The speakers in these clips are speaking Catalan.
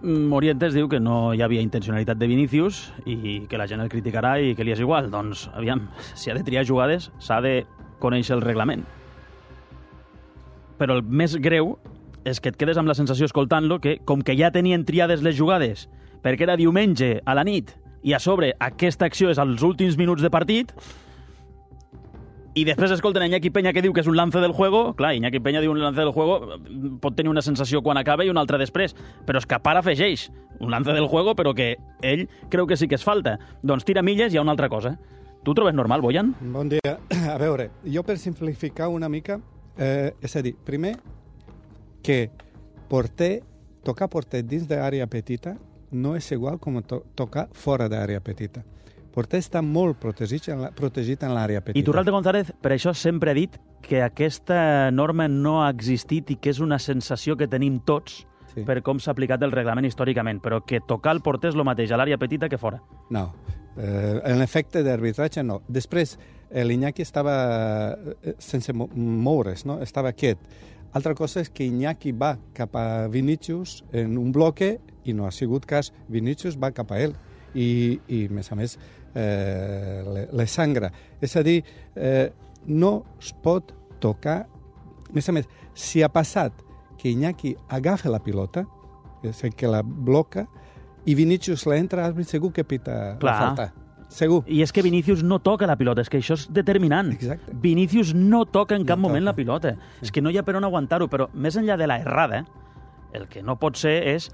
Morientes diu que no hi havia intencionalitat de Vinícius i que la gent el criticarà i que li és igual. Doncs, aviam, si ha de triar jugades, s'ha de conèixer el reglament. Però el més greu és que et quedes amb la sensació, escoltant-lo, que com que ja tenien triades les jugades, perquè era diumenge a la nit, i a sobre aquesta acció és als últims minuts de partit, i després escolten Iñaki Peña que diu que és un lance del juego. Clar, Iñaki Peña diu un lance del juego, pot tenir una sensació quan acaba i una altra després, però és que a part afegeix un lance del juego, però que ell creu que sí que és falta. Doncs tira milles, hi ha una altra cosa. Tu ho trobes normal, Boyan? Bon dia. A veure, jo per simplificar una mica, és a dir, primer, que tocar porter dins d'àrea petita no és igual com tocar fora d'àrea petita. Porter està molt protegit en l'àrea petita. I Turralde González, per això sempre ha dit que aquesta norma no ha existit i que és una sensació que tenim tots per com s'ha aplicat el reglament històricament, però que tocar el porter és el mateix a l'àrea petita que fora. No, en l'efecte d'arbitratge no. Després, l'Iñaki estava sense moure's, no? Estava quiet. Altra cosa és que Iñaki va cap a Vinícius en un bloque i no ha sigut cas. Vinícius va cap a ell i a més, le sangra. És a dir, no es pot tocar. A més, si ha passat que Iñaki agafa la pilota, és que la bloca, i Vinícius l'entra, segur que pita la falta. Segur. I és que Vinícius no toca la pilota, és que això és determinant. Exacte. Vinícius no toca en cap moment la pilota. És que no hi ha per on aguantar-ho, però més enllà de la errada, el que no pot ser és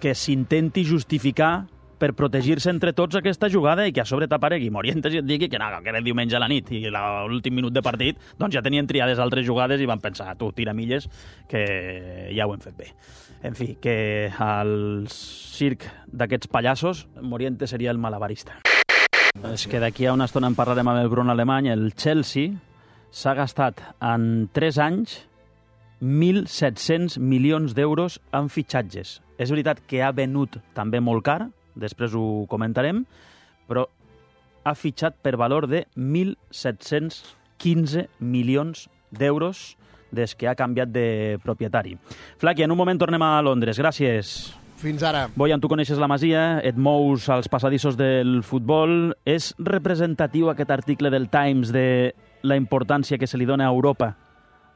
que s'intenti justificar per protegir-se entre tots aquesta jugada i que a sobre t'aparegui Morientes i et digui que no, que era diumenge a la nit i l'últim minut de partit doncs ja tenien triades altres jugades i van pensar, tu, tira milles, que ja ho hem fet bé. En fi, que al circ d'aquests pallassos Morientes seria el malabarista. És que d'aquí a una estona en parlarem amb el Bruno Alemany. El Chelsea s'ha gastat en 3 anys 1.700 milions d'euros en fitxatges. És veritat que ha venut també molt car, després ho comentarem, però ha fitxat per valor de 1.715 milions d'euros des que ha canviat de propietari. Flaqui, en un moment tornem a Londres. Gràcies. Fins ara. Boyan, tu coneixes la Masia, et mous als passadissos del futbol. És representatiu aquest article del Times de la importància que se li dona a Europa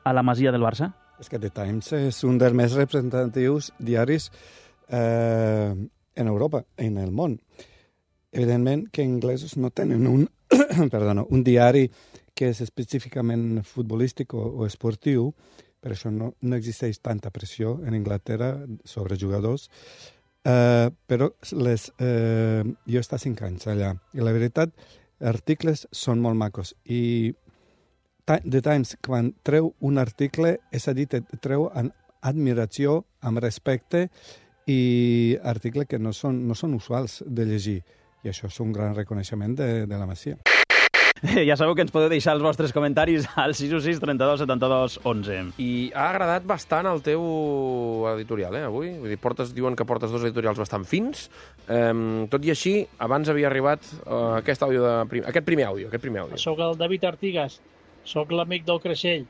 a la Masia del Barça? És que The Times és un dels més representatius diaris en Europa, en el món. Evidentment que anglesos no tenen un diari que és específicament futbolístic o esportiu, per això no existeix tanta pressió en Anglaterra sobre jugadors, però jo he estat 5 anys allà, i la veritat, articles són molt macos, i The Times, quan treu un article, és a dir, treu amb admiració, amb respecte, i articles que no són usuals de llegir, i això és un gran reconeixement de la Masia. Ja sabeu que ens podeu deixar els vostres comentaris al 616 32 72 11. I ha agradat bastant el teu editorial, avui. Vull dir, diuen que portes 2 editorials bastant fins. Tot i així, abans havia arribat aquest primer àudio. Soc el David Artigas, soc l'amic del Creixell.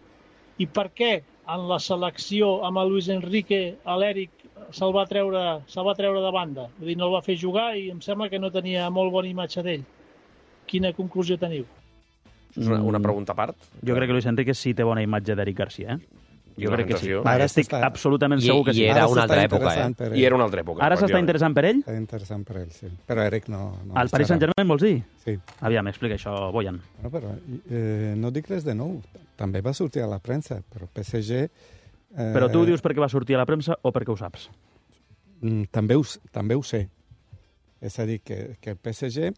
I per què en la selecció amb el Luis Enrique, l'Eric se'l va treure de banda? Vull dir, no el va fer jugar i em sembla que no tenia molt bona imatge d'ell. Quina conclusió teniu? Una pregunta a part. Jo crec que Luis Enrique sí té bona imatge d'Eric Garcia, Jo crec que sí. Ara estic absolutament segur que sí. I era una altra època, I era una altra època. Ara s'està interessant per ell? Està interessant per ell, sí. Però Eric no... Al Paris Saint-Germain vols dir? Sí. Aviam, explica això, Boyan. Bueno, però no dic res de nou. També va sortir a la premsa, però PSG... Però tu ho dius perquè va sortir a la premsa o perquè ho saps? També ho sé. És a dir, que el PSG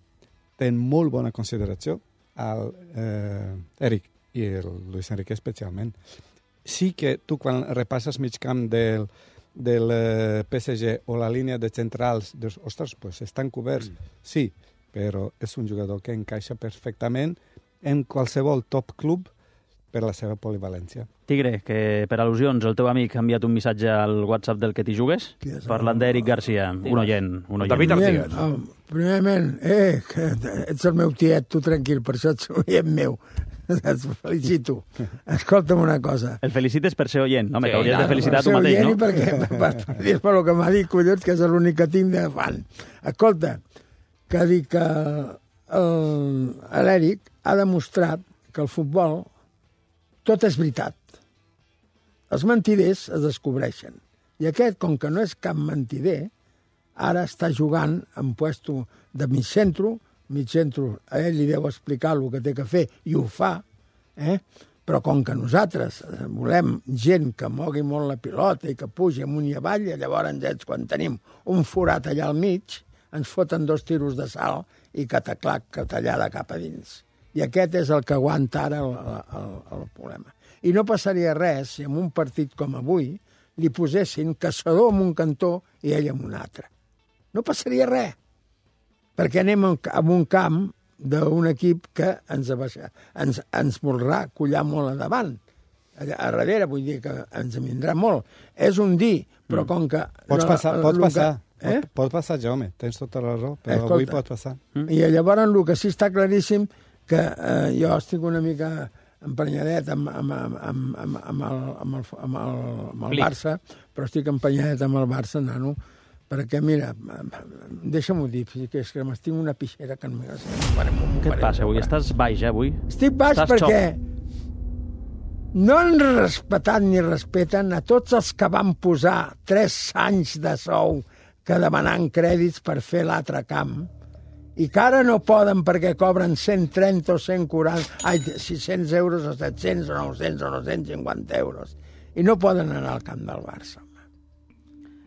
té molt bona consideració al Eric i el Luis Enrique especialment. Sí que tu quan repasses mig camp del PSG o la línia de centrals, dius, ostres, pues estan coberts. Sí, però és un jugador que encaixa perfectament en qualsevol top club per la seva polivalència. Tigre, que per al·lusions el teu amic ha enviat un missatge al WhatsApp del que t'hi jugues, parlant d'Eric Garcia, un oient. David Artigas. Primerament, que ets el meu tiet, tu tranquil, per això ets el meu. Et felicito. Escolta'm una cosa. El felicites per ser oient. No, Sí, que hauries de felicitar tu Per ser mateix, oient no? i perquè, per el que m'ha dit, collons, que és l'únic que tinc de fan. Escolta, que dic que l'Eric ha demostrat que el futbol tot és veritat. Els mentiders es descobreixen. I aquest, com que no és cap mentider, ara està jugant en puesto de mig centro, a ell li deu explicar el que té que fer i ho fa, però com que nosaltres volem gent que mogui molt la pilota i que pugi amunt i avall, i llavors ells, quan tenim un forat allà al mig, ens foten 2 tiros de sal i cataclac, catallada cap a dins. I aquest és el que aguanta ara el problema. I no passaria res si en un partit com avui li posessin Caçador en un cantó i ell en un altre. No passaria res, perquè anem a un camp d'un equip que ens voldrà collar molt endavant. A darrere, vull dir que ens en vindrà molt. És un dir, però com que... Pots passar, Jaume, tens tota la raó, però avui pot passar. I llavors el que sí està claríssim que jo estic una mica empenyadet amb el Barça, però estic empenyadet amb el Barça, nano, perquè, mira, deixa'm-ho dir, que és que m'estic una pixera que no Què et passa avui? Estàs baix, avui? Estic baix perquè no han respetat ni respeten a tots els que van posar 3 anys de sou que demanant crèdits per fer l'altre camp i que ara no poden perquè cobren 130 o 140, 600 euros o 700 o 900 o 950 euros i no poden anar al camp del Barça.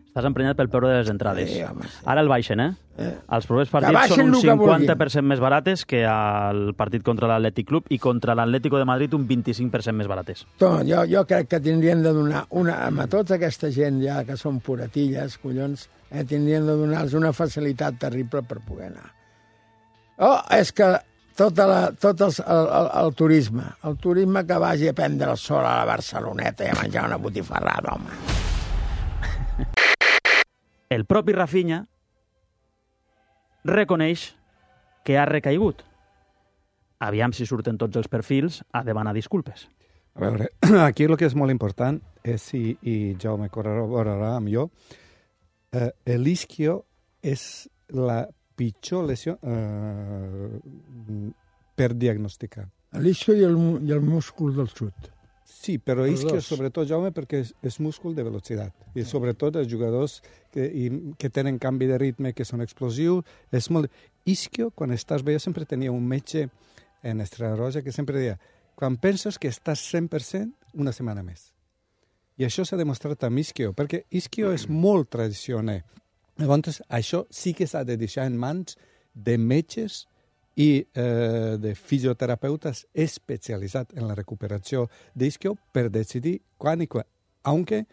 Estàs emprenyat pel peure de les entrades. Sí, home, sí. Ara el baixen, Els propers partits són un 50% més barates que el partit contra l'Atlètic Club i contra l'Atlético de Madrid un 25% més barates. Jo crec que tindrien de donar a tota aquesta gent ja que són puratilles, collons, tindrien de donar-los una facilitat terrible per poder anar. És que tot el turisme que vagi a prendre el sol a la Barceloneta i a menjar una botifarrada, home. El propi Rafinha reconeix que ha recaigut. Aviam si surten tots els perfils a demanar disculpes. A veure, aquí el que és molt important és, i Jaume corroborarà amb jo, l'isquio és la pitjor lesió per diagnosticar. L'isquio i el múscul del xut. Sí, però isquio sobretot, Jaume, perquè és múscul de velocitat. I sobretot els jugadors que tenen canvi de ritme, que són explosius, és molt... Isquio, quan estàs bé, jo sempre tenia un metge en Estrella Roja que sempre deia quan penses que estàs 100%, una setmana més. I això s'ha demostrat amb isquio, perquè isquio és molt tradicional. Llavors, això sí que s'ha de deixar en mans de metges i de fisioterapeutes especialitzats en la recuperació d'isquio per decidir quan i quan. Aunque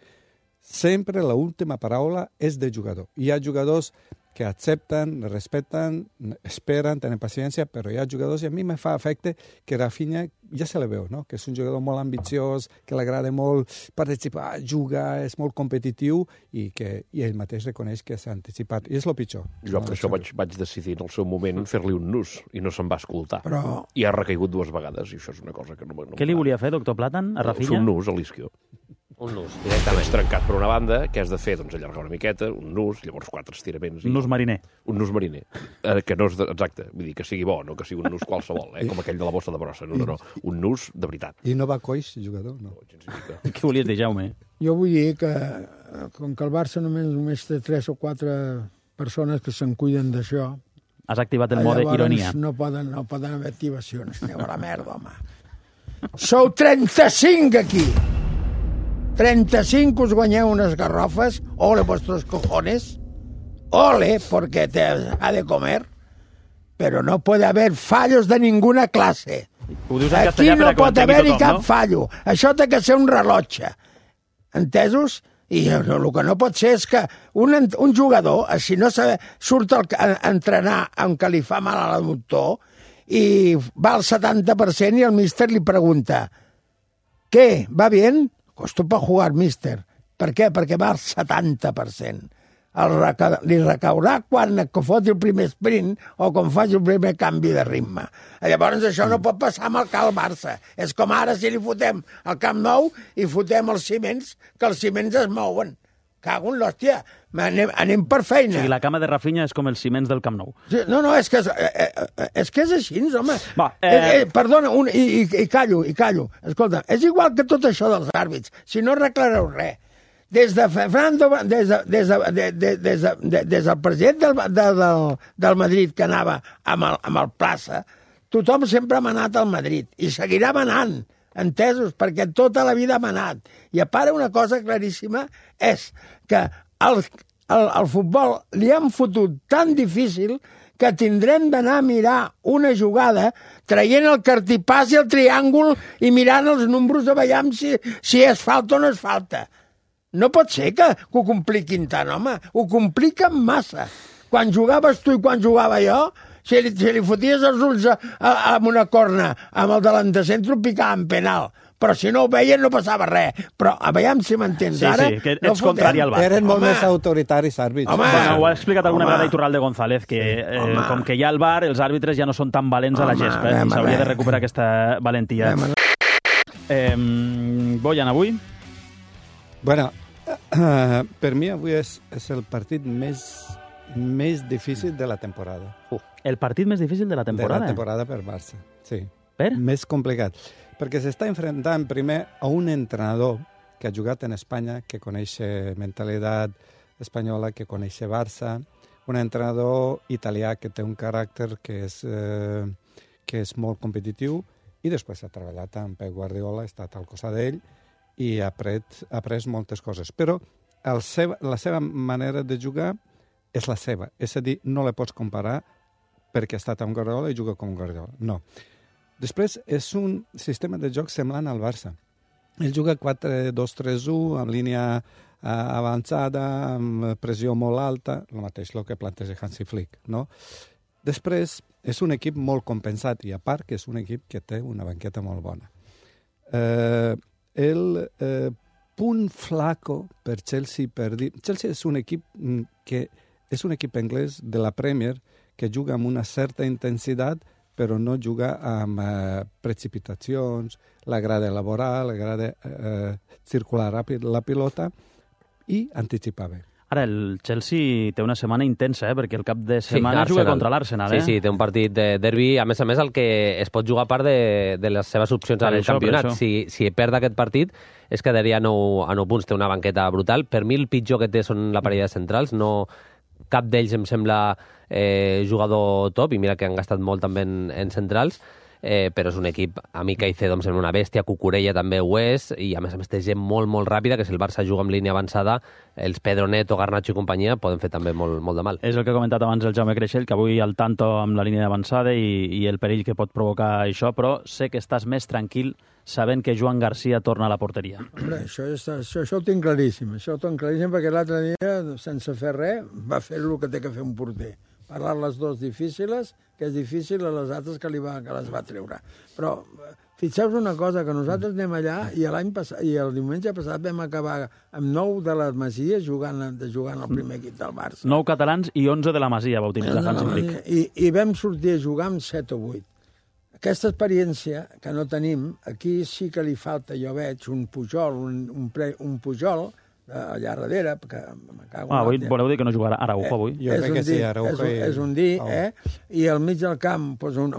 sempre la última paraula és del jugador. Hi ha jugadors que accepten, respeten, esperen, tenen paciència, però hi ha jugadors, i a mi me fa efecte que Rafinha, ja se le veu, no? Que és un jugador molt ambiciós, que li agrada molt participar, jugar, és molt competitiu i ell mateix reconeix que s'ha anticipat. I és el pitjor. Jo per això vaig decidir en el seu moment fer-li un nus i no se'n va escoltar. Però... I ha recaigut 2 vegades i això és una cosa que no Què li volia fer, doctor Platan, a Rafinha? Fer un nus a l'isquio. Un nus, directament. Tens trencat per una banda, què has de fer? Doncs allargar una miqueta, un nus, llavors 4 estiraments. Un nus mariner. Un nus mariner. Que no és exacte, vull dir, que sigui bo, no que sigui un nus qualsevol, com aquell de la bossa de brossa. No. Un nus de veritat. I no va coix, jugador, no? Què volies dir, Jaume? Jo vull dir que, com que el Barça només té 3 o 4 persones que se'n cuiden d'això... Has activat el mode ironia. No poden haver activacions. Aneu a la merda, home. Sou 35 aquí! 35 us guanyeu unes garrofes, ole vuestros cojones, ole, porque te ha de comer, pero no puede haber fallos de ninguna clase. Aquí no pot haver-hi cap fallo. Això té que ser un rellotge. Entesos? I el que no pot ser és que un jugador, si no surt a entrenar amb que li fa mal a l'adductor i va al 70% i el míster li pregunta ¿qué? ¿Va bien? Esto para jugar, mister. Per què? Perquè va al 70%. li recaurà quan foti el primer sprint o quan faci el primer canvi de ritme. Llavors això no pot passar amb el Cal Barça. És com ara si li fotem al Camp Nou i fotem els ciments, que els ciments es mouen. Cago en l'hòstia, anem per feina. O sigui, la cama de Rafinha és com els ciments del Camp Nou. No, és que és així, home. Va, perdona, i callo. Escolta, és igual que tot això dels àrbits. Si no arreglareu res. Des del president del Madrid, que anava amb el Plaça, tothom sempre ha manat al Madrid i seguirà manant, entesos, perquè tota la vida ha manat. I a part, una cosa claríssima és que al futbol li han fotut tan difícil que tindrem d'anar a mirar una jugada traient el cartipàs i el triàngul i mirant els números a veure si és falta o no és falta. No pot ser que ho compliquin tant, home. Ho compliquen massa. Quan jugaves tu i quan jugava jo, si li foties els ulls amb una corna amb el delanter centre, picaven penal. Però si no ho veien no passava res. Però a veure si m'entens ara. Sí, que ets contrari al VAR. Eren molt més autoritaris, àrbits. Bueno, ho ha explicat alguna vegada Iturralde González, que com que hi ha el VAR, els àrbitres ja no són tan valents a la gespa, i s'hauria de recuperar aquesta valentia. Bojan, avui? Bueno, per mi avui és el partit més difícil de la temporada. El partit més difícil de la temporada? De la temporada per Barça, sí. Per? Més complicat. Perquè s'està enfrontant primer a un entrenador que ha jugat en Espanya, que coneix mentalitat espanyola, que coneix Barça, un entrenador italià que té un caràcter que és molt competitiu, i després ha treballat amb Pep Guardiola, ha estat al costat d'ell, i ha après moltes coses. Però la seva manera de jugar és la seva. És a dir, no la pots comparar perquè ha estat amb Guardiola i juga com Guardiola. No. Després, és un sistema de joc semblant al Barça. Ell juga 4-2-3-1, amb línia avançada, amb pressió molt alta, el mateix el que planteja Hansi Flick, no? Després, és un equip molt compensat, i a part que és un equip que té una banqueta molt bona. El punt flaco per Chelsea Chelsea és un equip que és un equip anglès de la Premier que juga amb una certa intensitat, però no juga amb precipitacions, l'agrada elaborar, l'agrada circular ràpid la pilota i anticipar bé. Ara, el Chelsea té una setmana intensa, perquè el cap de setmana juga contra l'Arsenal. Sí, té un partit de derbi. A més, el que es pot jugar a part de les seves opcions al campionat. Si perd aquest partit, es quedaria a 9 punts. Té una banqueta brutal. Per mi, el pitjor que té són la parella de centrals. No, cap d'ells em sembla jugador top, i mira que han gastat molt també en centrals, però és un equip, a mi Caicedo em sembla una bèstia, Cucurella també ho és, i a més té gent molt, molt ràpida, que si el Barça juga amb línia avançada, els Pedro Neto, Garnacho i companyia poden fer també molt de mal. És el que ha comentat abans el Jaume Creixell, que avui al tanto amb la línia avançada i el perill que pot provocar això, però sé que estàs més tranquil sabent que Joan Garcia torna a la porteria. Hombre, això ho tinc claríssim. Això ho tinc claríssim perquè l'altre dia, sense fer res, va fer el que té que fer un porter. Parlar les dues difícils, que és difícil a les altres que les va treure. Però fixeu-vos una cosa, que nosaltres anem allà i el diumenge passat vam acabar amb 9 de les Masies jugant al primer equip del Barça. 9 catalans i 11 de la Masia, va utilitzar Hansi Flick. I vam sortir a jugar amb 7 o 8. Aquesta experiència que no tenim, aquí sí que li falta, jo veig, un Pujol, un Pujol, allà darrere, que me cago en avui voleu dir que no jugarà Araujo avui? Jo crec que sí, Araujo és un dir, i al mig del camp pues, un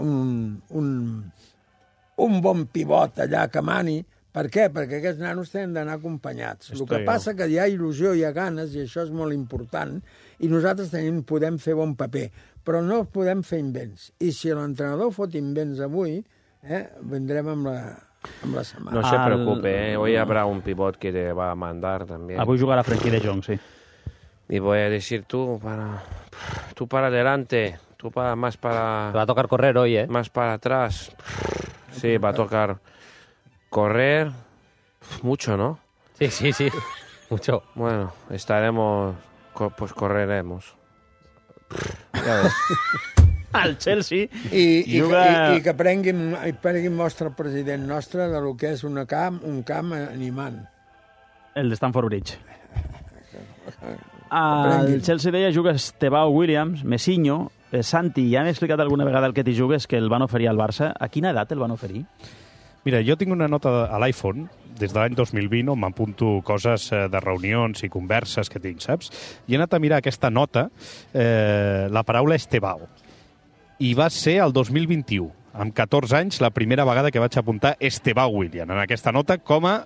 bon pivot allà que mani. Per què? Perquè aquests nanos tenen d'anar acompanyats. El que passa que hi ha il·lusió, hi ha ganes, i això és molt important, i nosaltres podem fer bon paper, però no podem fer invents. I si l'entrenador fot invents avui, vendrem amb la setmana. No se preocupe, hoy habrá un pivot que te va a mandar también. Avui jugarà Frenkie de Jong, sí. Y voy a decir tú para adelante, más para... Te va a tocar correr hoy, ¿eh? Más para atrás. Sí, va a tocar correr mucho, ¿no? Sí, mucho. Bueno, pues correremos. Ja ves. El Chelsea I que prenguin mostra el president nostre de lo que és un camp animant. El de Stamford Bridge. Al Chelsea deia juga Estebao Williams, Messinho, Santi, ja hem explicat alguna vegada el que t'hi jugues, que el van oferir al Barça. A quina edat el van oferir? Mira, jo tinc una nota a l'iPhone des de l'any 2020 on m'apunto coses de reunions i converses que tinc, saps? I he anat a mirar aquesta nota, la paraula Estebao. I va ser el 2021, amb 14 anys, la primera vegada que vaig apuntar Estebao William en aquesta nota com a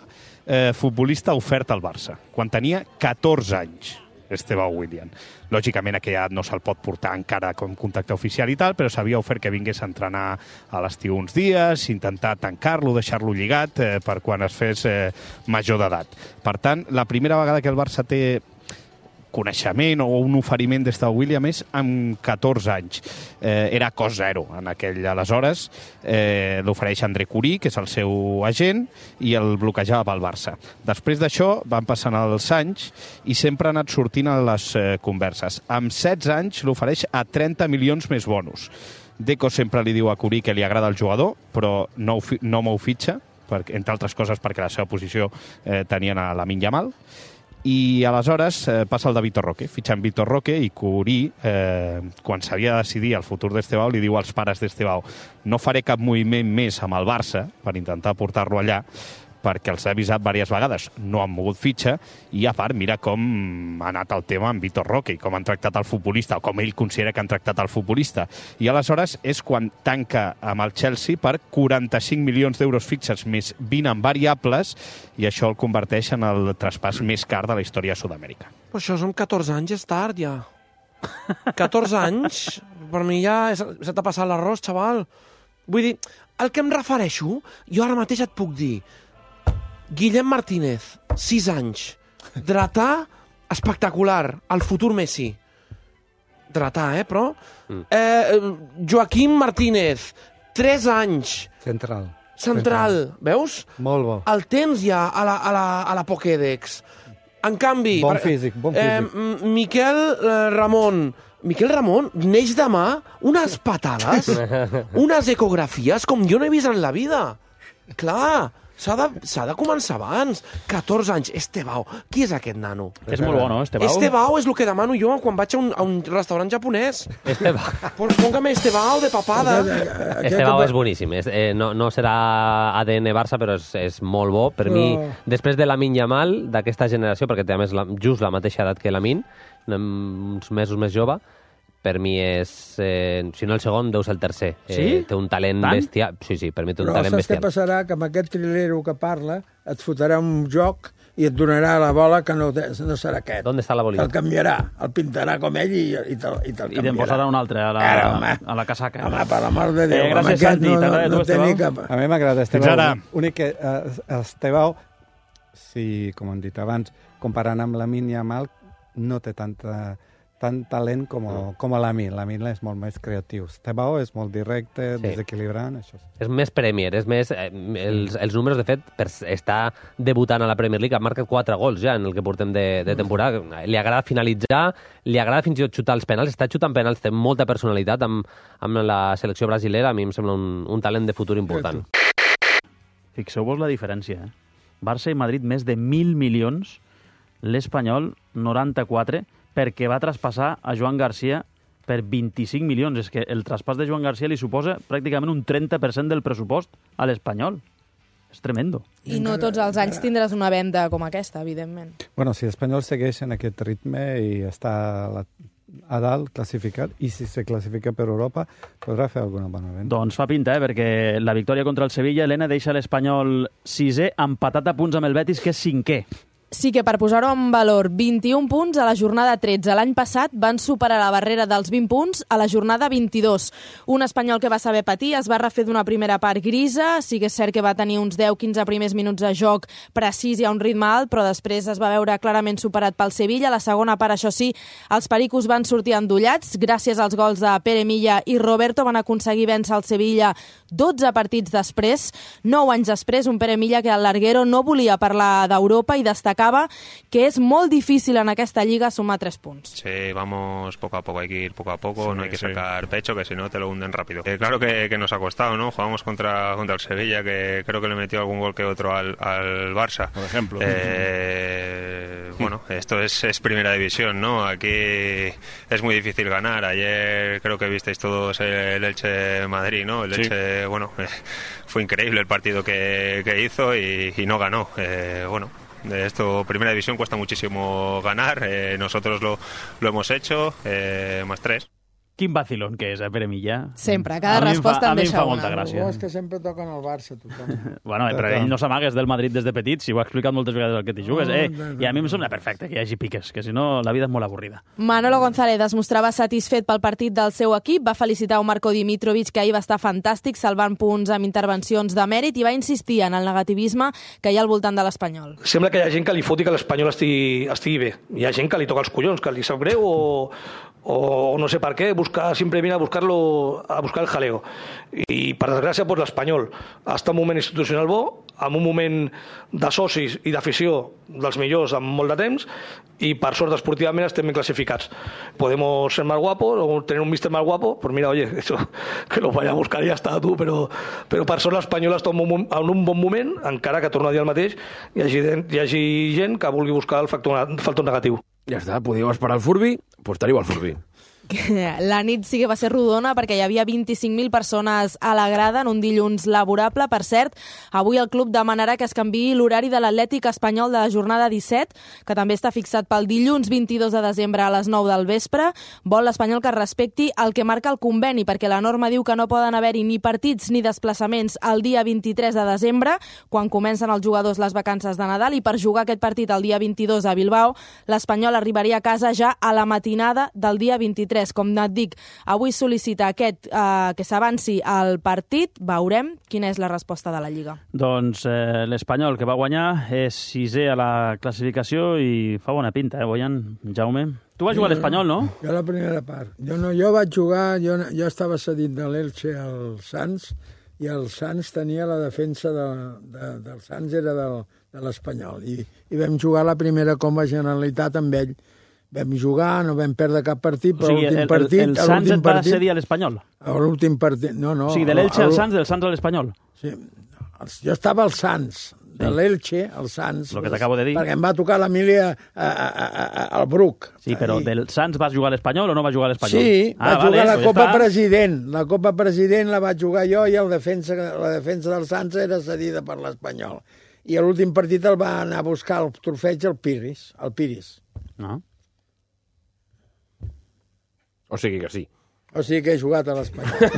futbolista ofert al Barça, quan tenia 14 anys. Estebao William. Lògicament, aquella no se'l pot portar encara com contacte oficial i tal, però s'havia ofert que vingués a entrenar a l'estiu uns dies, intentar tancar-lo, deixar-lo lligat per quan es fes major d'edat. Per tant, la primera vegada que el Barça té coneixement o un oferiment d'Estebao William és amb 14 anys. Era cost zero en aquell aleshores. L'ofereix André Curí, que és el seu agent, i el bloquejava pel Barça. Després d'això van passant els anys i sempre ha anat sortint a les converses. Amb 16 anys l'ofereix a 30 milions més bonus. Deco sempre li diu a Curí que li agrada el jugador, però no m'ho fitxa, entre altres coses perquè la seva posició tenien a Lamine Yamal. I aleshores passa el de Vitor Roque, fitxant Vitor Roque, i Curí, quan s'havia de decidir el futur d'Estebao, li diu als pares d'Estebao: no faré cap moviment més amb el Barça per intentar portar-lo allà, perquè els ha avisat diverses vegades, no han mogut fitxa, i a part, mira com ha anat el tema amb Vitor Roque, i com han tractat el futbolista, o com ell considera que han tractat el futbolista. I aleshores és quan tanca amb el Chelsea per 45 milions d'euros fixes més 20 en variables, i això el converteix en el traspàs més car de la història de Sud-amèrica. Però això amb 14 anys és tard, ja. 14 anys? Per mi ja se t'ha passat l'arròs, xaval. Vull dir, el que em refereixo, jo ara mateix et puc dir: Guillem Martínez, 6 anys. Dretà, espectacular. El futur Messi. Dretà, però? Joaquim Martínez, 3 anys. Central. Veus? Molt bo. El tens ja a la Pokédex. En canvi... Bon físic. Miquel Ramon, neix demà unes patades, unes ecografies com jo no he vist en la vida. Clar, s'ha de començar abans. 14 anys, Estebao. Qui és aquest nano? És molt bo, no, Estebao? Estebao és el que demano jo quan vaig a un restaurant japonès. Estebao. Póngame Estebao de papada. Estebao és boníssim. No serà ADN Barça, però és molt bo. Per mi, després de Lamine Yamal, d'aquesta generació, perquè té a més just la mateixa edat que Lamine, uns mesos més jove, per mi és, si no el segon, deu ser el tercer. Sí? Té un talent bestial. Sí, per mi té un talent bestial. Però saps què passarà? Que amb aquest trilero que parla et fotrà un joc i et donarà la bola que no serà aquest. ¿Dónde està la bolita? El canviarà, el pintarà com ell i te'l canviarà. I te'n posarà un altre a la casaca. Home, per l'amor de Déu. Gràcies, Santi. T'agrada tu, Estebao? A mi m'agrada Estebao. Fins ara. Únic que Estebao, si, com hem dit abans, comparant amb Lamine Yamal, no té tant talent com Lamine. Lamine és molt més creatiu. Estebao és molt directe, desequilibrant, això. És més Premier, és més... Els números, de fet, per estar debutant a la Premier League, ha marcat 4 gols ja en el que portem de temporada. Li agrada finalitzar, li agrada fins i tot xutar els penals, està xutant penals, té molta personalitat amb la selecció brasilera, a mi em sembla un talent de futur important. Fixeu-vos la diferència, Barça i Madrid més de 1.000 milions, l'Espanyol 94, perquè va traspassar a Joan Garcia per 25 milions. És que el traspàs de Joan Garcia li suposa pràcticament un 30% del pressupost a l'Espanyol. És tremendo. I no tots els anys tindràs una venda com aquesta, evidentment. Bueno, si l'Espanyol segueix en aquest ritme i està a dalt, classificat, i si se classifica per Europa, podrà fer alguna bona venda. Doncs fa pinta, perquè la victòria contra el Sevilla, Helena, deixa l'Espanyol 6è, empatat a punts amb el Betis, que és 5è. Sí que per posar-ho en valor, 21 punts a la jornada 13. L'any passat van superar la barrera dels 20 punts a la jornada 22. Un espanyol que va saber patir, es va refer d'una primera part grisa, sí que és cert que va tenir uns 10-15 primers minuts de joc precís i a un ritme alt, però després es va veure clarament superat pel Sevilla. La segona part, això sí, els pericos van sortir endollats. Gràcies als gols de Pere Milla i Roberto van aconseguir vèncer el Sevilla 12 partits després. 9 anys després, un Pere Milla que al larguero no volia parlar d'Europa i destacar destacava que és molt difícil en aquesta lliga sumar 3 punts. Sí, vamos poco a poco, hay que ir poco a poco, no hay que sacar pecho, que si no te lo hunden rápido. Claro que nos ha costado, ¿no? Jugamos contra el Sevilla, que creo que le metió algún gol que otro al Barça. Por ejemplo. Bueno, esto es primera división, ¿no? Aquí es muy difícil ganar. Ayer creo que visteis todos el Elche-Madrid, ¿no? El Elche, bueno, fue increíble el partido que hizo y no ganó. Bueno, esto, primera división, cuesta muchísimo ganar. Nosotros lo hemos hecho, más 3. Quin vacilón que és, Pere Millà? Sempre, cada resposta em deixa una. A mi em fa molta gràcia. És que sempre toquen el Barça, tothom. Bueno, però ell no s'amagues del Madrid des de petit, si ho ha explicat moltes vegades el que t'hi jugues. I a mi em sembla perfecte que hi hagi piques, que si no la vida és molt avorrida. Manolo González es mostrava satisfet pel partit del seu equip, va felicitar a Marco Dimitrovic, que ahir va estar fantàstic, salvant punts amb intervencions de mèrit, i va insistir en el negativisme que hi ha al voltant de l'Espanyol. Sembla que hi ha gent que li foti que l'Espanyol estigui bé. Hi ha gent que li toca els collons, que li sap greu o no sé per què, sempre viene a buscar el jaleo. I, per desgràcia, pues, l'Espanyol està en un moment institucional bo, en un moment de socis i d'afició dels millors en molt de temps, i per sort esportivament estem ben classificats. Podemos ser más guapos o tener un míster más guapo, pues mira, oye, eso, que lo vaya a buscar i ja està, tu, però per sort l'Espanyol està en un bon moment, encara que torno a dir el mateix, hi hagi gent que vulgui buscar el factor negatiu. Ja està, podíeu esperar el Furby, doncs teniu el Furby. La nit sí que va ser rodona perquè hi havia 25.000 persones a la grada en un dilluns laborable. Per cert, avui el club demanarà que es canviï l'horari de l'Atlètic espanyol de la jornada 17, que també està fixat pel dilluns 22 de desembre a les 9 del vespre. Vol l'Espanyol que respecti el que marca el conveni, perquè la norma diu que no poden haver-hi ni partits ni desplaçaments el dia 23 de desembre, quan comencen els jugadors les vacances de Nadal, i per jugar aquest partit el dia 22 a Bilbao, l'Espanyol arribaria a casa ja a la matinada del dia 23. Com et dic, avui sol·licita que s'avanci el partit. Veurem quina és la resposta de la Lliga. Doncs l'Espanyol, que va guanyar, és 6è a la classificació i fa bona pinta, Boyan? Jaume? Tu vas jugar a l'Espanyol, no? Jo la primera part. Jo vaig jugar, jo estava cedit de l'Elche al Sants, i el Sants tenia la defensa del Sants, era de l'Espanyol. I vam jugar la primera com a Generalitat amb ell. Vam jugar, no vam perdre cap partit, però l'últim partit... El Sants et va cedir a l'Espanyol? L'últim partit, no. O sigui, de l'Elche al Sants, del Sants a l'Espanyol? Sí, jo estava al Sants, de l'Elche al Sants. El que t'acabo de dir. Perquè em va tocar l'Emília al Bruc. Sí, però del Sants vas jugar a l'Espanyol o no vas jugar a l'Espanyol? Sí, vaig jugar a la Copa President. La Copa President la vaig jugar jo i la defensa del Sants era cedida per l'Espanyol. I a l'últim partit el va anar a buscar el trofeig al Piris. No. O sigui que sí. O sigui que he jugat a l'Espanyol.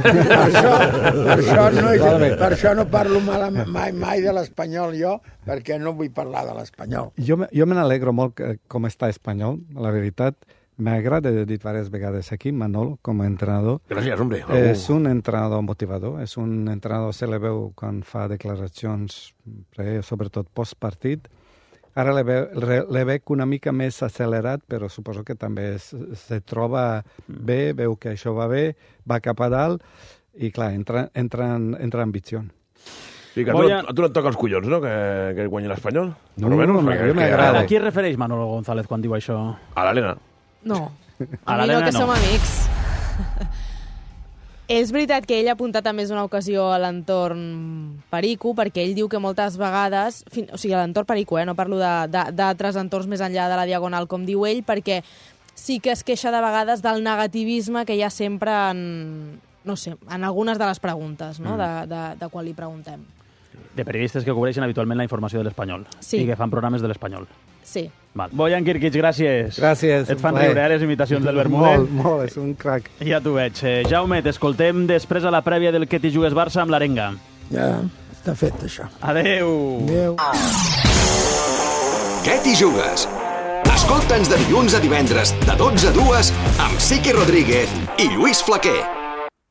Per això no parlo mai de l'Espanyol jo, perquè no vull parlar de l'Espanyol. Jo me n'alegro molt com està Espanyol, la veritat. M'agrada, he dit diverses vegades aquí, Manolo, com a entrenador. Gràcies, hombre. És un entrenador motivador, és un entrenador, se le veu quan fa declaracions, sobretot postpartit. Ara le veig una mica més accelerat, però suposo que també se troba bé, veu que això va bé, va cap a dalt i, clar, entra en ambició. Sí, que a tu no et toca els collons, no?, que guanyi l'Espanyol? No, m'agrada. A qui es refereix Manolo González quan diu això? A l'Helena. No, a mi no, que som amics. És veritat que ell ha apuntat a més d'una ocasió a l'entorn Perico, perquè ell diu que moltes vegades, o sigui, a l'entorn Perico, no parlo d'altres entorns més enllà de la Diagonal, com diu ell, perquè sí que es queixa de vegades del negativisme que hi ha sempre en algunes de les preguntes, no?, de quan li preguntem. De periodistes que cobreixen habitualment la informació de l'Espanyol. Sí. I que fan programes de l'Espanyol. Sí. Boyan Kirkic, gràcies. Gràcies. Et fan riure les imitacions del Bermudet? Molt, és un crac. Ja t'ho veig. Jaume, t'escoltem després a la prèvia del Que t'hi jugues Barça amb l'Arenga. Ja, està fet, això. Adéu. Adéu. Que t'hi jugues? Escolta'ns de dilluns a divendres, de 12 a 2, amb Sique Rodríguez i Lluís Flaquer.